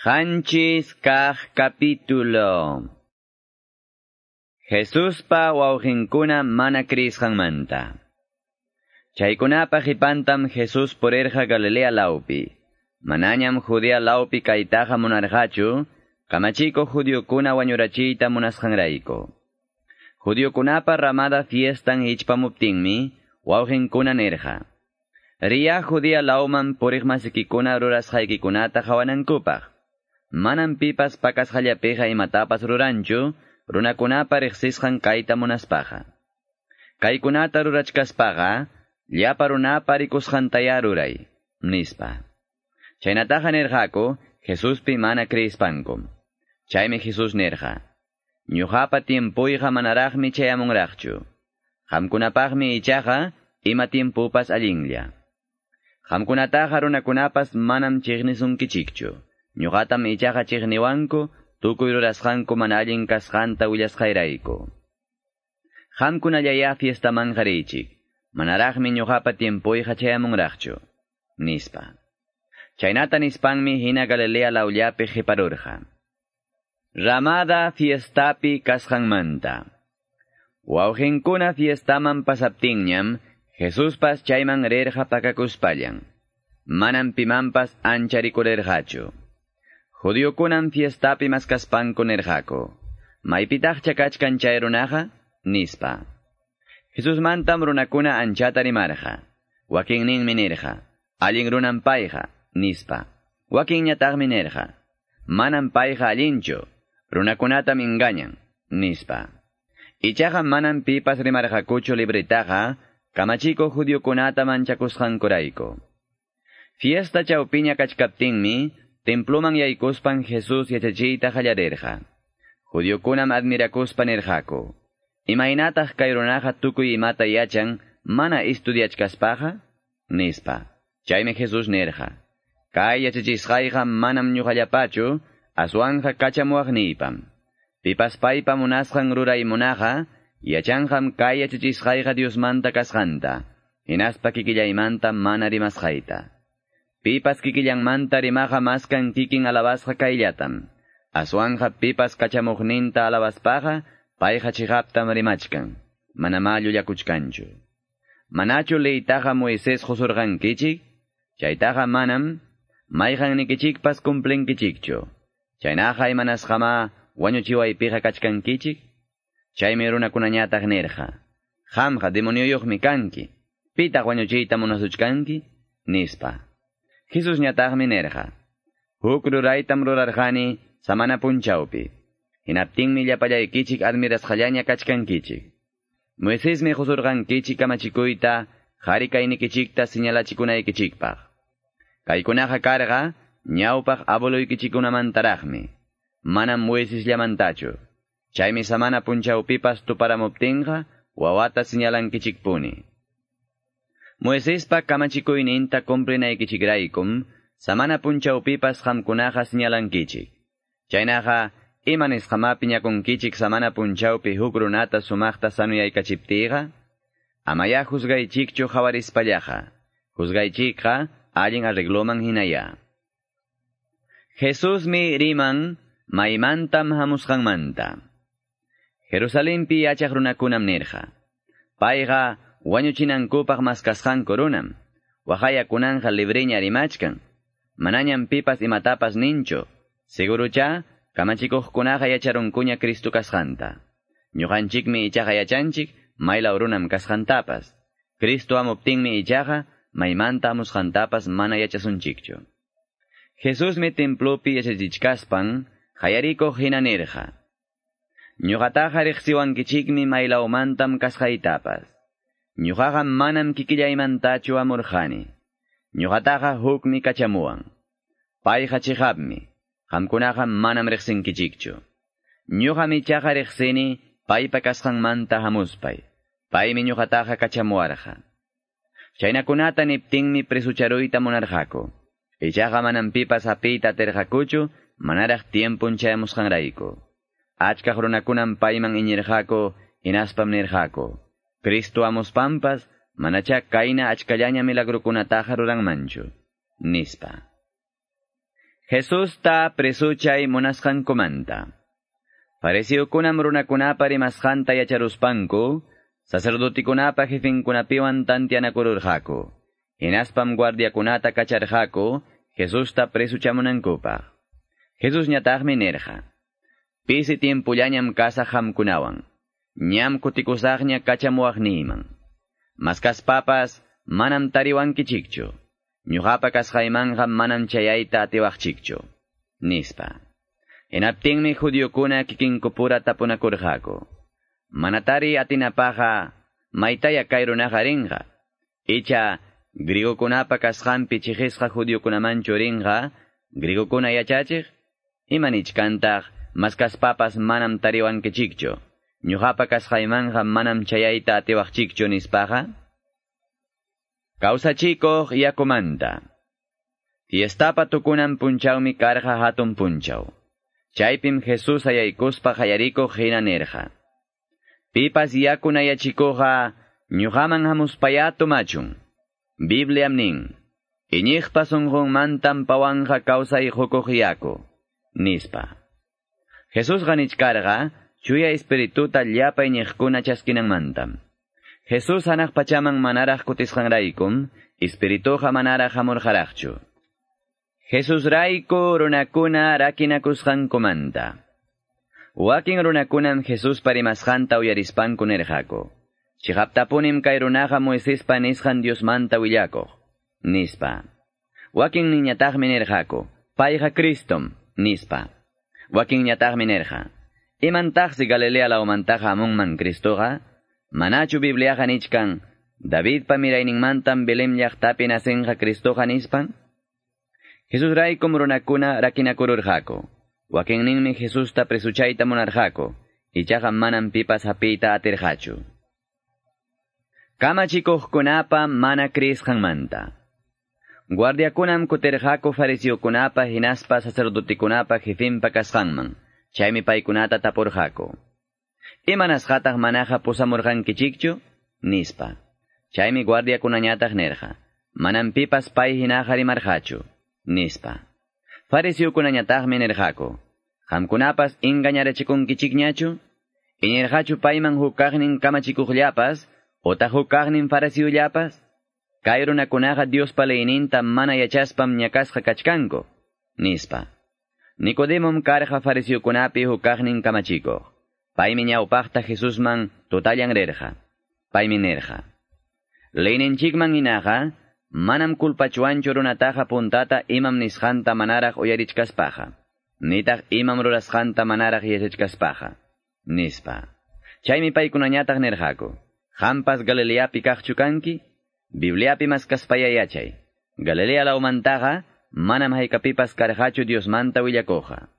7 kaq capítulo. Jesuspa wawqinkuna mana kriyisqanmanta. Chaykunapa qipantam Jesús purirqa Galilea lawpi. Manañam Judea lawpi kaytaqa munarqachu, kamachikuq judiokuna wañurachiyta munasqanrayku. Judiokunapa ramada fiestan hichpamuptinmi, wawqinkuna nirqa: "Riya Judea lawman puriqmasikikuna rurasqaykikunata qawanankupaq. Manam pipas pakasqallapiqa imatapas ruranchu, runakunapa riqsisqan kayta munaspaqa. Kaykunata rurachkaspaqa, llapa runapa rikusqantaya ruray", nispa. Chaynataqa nirqaku Jesuspi mana kriyispankum. Chaymi Jesús nirqa: "Ñuqapa tiempuyqa manaraqmi chayamunraqchu. Qamkunapaqmi ichaqa ima tiempupas allinlla. Qamkunataqa runakunapas manam chiqnisunkichikchu. Ñuqatam ichaqa chiqniwanku tukuy rurasqanku mana allin kasqanta willasqayrayku. Qamkunallaya fiestamanqa riychik. Manaraqmi ñuqapa tiempuyqa chayamunraqchu", nispa. Chaynata nispanmi hina Galilea lawllapi qiparurqa. Ramada fiestapi kasqanmanta. Wawqinkuna fiestaman pasaptinñam, Jesuspas chayman rirqa pakakuspallan. Manam pimanpas ancha rikurirqachu. Judiokunam fiestapi maskaspanku nirqaku: "Maypitaqcha kachkan chay runaqa?" nispa. Jesusmantam runakuna anchata rimarqa. Wakinninmi nirqa: "Allin runam payqa", nispa. Wakinñataqmi nirqa: "Manam payqa allinchu, runakunatam engañan", nispa. Ichaqa manam pipas rimarqakuchu libretaqa, kamachikuq judiokunata manchakusqankurayku. Fiesta chawpiña kachkaptinmi, temploman yaykuspan Jesús yachachiyta qallarirqa. Judiokunam admirakuspa nirqaku: "Imaynataq kay runaqa tukuy imata yachan mana estudiachkaspaqa?" nispa. Chaymi Jesús nirqa: "Kay yachachisqayqa manam ñuqallapachu, aswanqa kachamuwaqniypam. Pipas paypa munasqan ruray munaqa, yachanqam kay yachachisqayqa Diosmanta kasqanta, hinaspa kikillaymanta mana rimasqayta. Pipas kikillanmanta rimaqa maskan kikin alabasqa kayllatam. Aswanqa pipas kachamuqninta alabaspaqa, payqa chiqaptam rimachkan, manamá llullakuchkanchu. Manachu leytaqa Moisés qusurqankichik? Chaytaqa manam mayqannikichikpas cumplinkichikchu. Chaynaqa imanasqamá wañuchiwaypiqa kachkankichik?" Chaymi runakunañataq nirqa: "Qamqa demonioyuqmi kanki. Pitaq wañuchiyta munasuchkanki?" nispa. Jesusñataqmi nirqa: "Huk ruraytam rurarqani samana punchawpi. Hinaptinmi llapallaykichik admirasqallaña kachkankichik. Moisesmi qusurqankichik kamachikuyta qari kaynikichikta señalachikunaykichikpaq. Kaykunaqa karqa ñawpaq abueluykichikkunamantaraqmi, manam Moisesllamantachu. Chaymi samana punchawpipas tuparamuptinqa wawata señalankichikpuni. Moisespa kamachikuyninta cumplinaykichikraykum samana punchawpipas qamkunaqa señalankichik. Chaynaqa ima nisqamá piñakunkichik samana punchawpi huk runata sumaqta sanuyaykachiptiyqa? Amaya juzgaychikchu qawarispallaqa. Juzgaychikqa allin arregloman hinaya." Jesusmi riman maymantam hamusqanmanta. Jerusalenpi yachaq runakunam nirqa: "Payqa wañuchinankupaq maskasqanku runam. Waqaya kunanqa libreña rimachkan. Manañam pipas imatapas ninchu. Segurucha kamachikuqkunaqa yacharunkuña Cristo kasqanta. Ñuqanchikmi ichaqa yachanchik maylaw runam kasqantapas. Cristo hamuptinmi ichaqa maymanta hamusqantapas mana yachasunchikchu." Jesusmi templopi yachachichkaspan qayarikuq hina nirqa: "Ñuqataqa riqsiwankichikmi maylawmantam kasqaytapas. Ñuqaqa manam kikillaymantachu hamurqani. Ñuqataqa hukmi kachamuwan. Payqa chiqapmi. Qamkunaqa manam riqsinkichikchu. Ñuqam ichaqa riqsini paypa kasqanmanta hamuspay. Paymi ñuqataqa kachamuwarqa." Chaynakunata niptinmi presucharuyta munarqaku. Ichaqa manam pipas hapiyta atirqakuchu manaraq tiempun chayamusqanrayku. Achkaq runakunam payman iñirqaku, hinaspam nirqaku: "Cristo hamuspanpas manacha kayna achkallaña milagrukunataqa ruranmanchu", nispa. Jesusta presuchay munasqankumanta. Fariseokunam runakunapa rimasqanta yacharuspanku, sacerdotikunapa jefinkunapiwan tantianakururqaku. Hinaspam guardiakunata kacharqaku Jesusta presuchamunankupaq. Jesusñataqmi nirqa: Pisi tiempullañam kasaq qamkunawan. Ñam kutikusaqña kachamuwaqniyman. Maskaspapas manam tariwankichikchu. Ñuqapa kasqaymanqa manam chayayta atiwaqchikchu, nispa. Hinaptinmi judiokuna kikinkupura tapunakurqaku. Manatari atinapaqa maytaya kay runaqa rinqa. Icha griegokunapa kasqanpi chiqisqa judiokunamanchu rinqa, griegokuna yachachiq? Imanichkantaq maskaspapas manam tariwankichikchu. Ñuqapa kasqaymanqa manam chayayta atiwaqchikchu nispaqa. Kawsachikuq yakumanta. Fiestapa tukunan punchawmi karqa hatun punchaw. Chaypim Jesús ayaykuspa qayarikuq hina nirqa: Pipas yakunayachikuqqa ñuqaman hamuspaya tumachun. Bibliam nin: Iñiqpa sunqunmantam pawanqa kawsay qukuq yaku, nispa. Jesusqa nichkarqa chuya espirituta llapa iñiqkuna chaskinanmantam. Jesús hanaq pachaman manaraq kutisqanraykum, espirituqa manaraq hamurqaraqchu. Jesusrayku runakuna rakinakusqankumanta. Wakin runakunam Jesuspa rimasqanta uyarispanku nirqaku: Chiqaptapunim kay runaqa Moisespa nisqan Diosmanta willakuq, nispa. Wakin niñataqmi nirqaku: Payqa Cristom, nispa. Wakinñataqmi nirqa: Imantaqsi Galilea lawmantaqa hamunman Cristoqa? Manachu Bibliaqa nichkan, Davidpa mirayninmantam Belém llaqtapi nacenqa Cristoqa nispan? Jesusraykum runakuna rakinakururqaku. Wakinninmi Jesusta presuchayta munarqaku, ichaqa manam pipas hapiyta atirqachu. Kamachikuqkunapa mana kriisqanmanta. Guardiakunam kutirqaku fariseokunapa hinaspa sacerdotekunapa jefinpa kasqanman. Chaymi paykunata tapurqaku: Imanasqataq manaqa pusamurqankichikchu? Nispa. Chaymi guardiakunañataq nirqa: Manam pipas pay hinaqa rimarqachu, nispa. Fariseokunañataqmi nirqaku: Qamkunapas engañarachikunkichikñachu? Iñirqachu payman huk kaqnin kamachikuqllapas otaq huk kaqnin fariseollapas? Kay runakunaqa Diospa leyninta mana yachaspam ñakasqa kachkanku, nispa. Nicodemom karqa fariseokunapi huk kaqnin kamachikuq. Paymi ñawpaqta Jesusman tutallan rirqa. Paymi nirqa: Leyninchikman hinaqa manam kulpachuanchu runataqa puntata imam nisqanta manaraq uyarichkaspaqa, nitaq imam rurasqanta manaraq yachachkaspaqa, nispa. Chaymi paykunañataq nirqaku: Qampas Galileapi kaqchu kanki? Bibliapi maskaspaya yachay. Galilea lawmantaqa manam haykapipas karqachu Diosmanta willakuqqa.